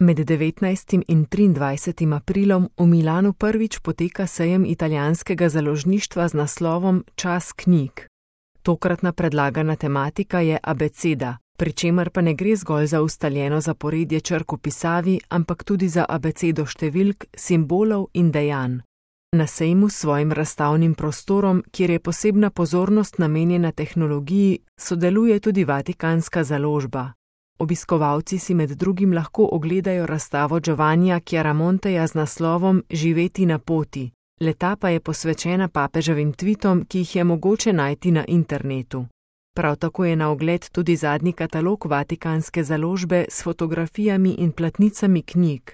Med 19. in 23. aprilom v Milanu prvič poteka sejem italijanskega založništva z naslovom Čas knjig. Tokratna predlagana tematika je abeceda, pri čemer pa ne gre zgolj za ustaljeno zaporedje črk v pisavi, ampak tudi za abecedo številk, simbolov in dejanj. Na sejmu s svojim razstavnim prostorom, kjer je posebna pozornost namenjena tehnologiji, sodeluje tudi Vatikanska založba. Obiskovalci si med drugim lahko ogledajo razstavo Giovannija Chiaramonteja z naslovom Živeti na poti. Le-ta pa je posvečena papeževim tvitom, ki jih je mogoče najti na internetu. Prav tako je na ogled tudi zadnji katalog Vatikanske založbe s fotografijami in platnicami knjig.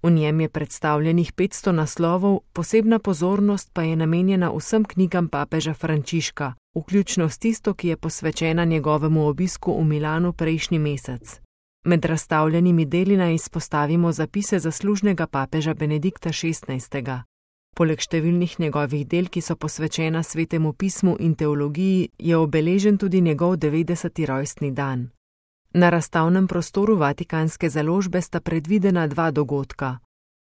V njem je predstavljenih 500 naslovov, posebna pozornost pa je namenjena vsem knjigam papeža Frančiška, vključno s tisto, ki je posvečena njegovemu obisku v Milanu prejšnji mesec. Med razstavljenimi deli naj izpostavimo zapise zaslužnega papeža Benedikta XVI. Poleg številnih njegovih del, ki so posvečena svetemu pismu in teologiji, je obeležen tudi njegov 90. rojstni dan. Na razstavnem prostoru Vatikanske založbe sta predvidena 2 dogodka.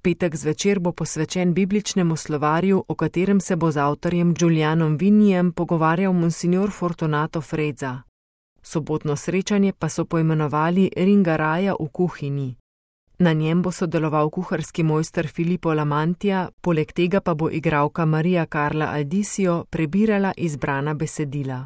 Petek zvečer bo posvečen bibličnemu slovarju, o katerem se bo z avtorjem Giulianom Vinnijem pogovarjal monsignor Fortunato Frezza. Sobotno srečanje pa so poimenovali Ringa raja v kuhinji. Na njem bo sodeloval kuharski mojster Filippo Lamantija, poleg tega pa bo igralka Maria Carla Aldisio prebirala izbrana besedila.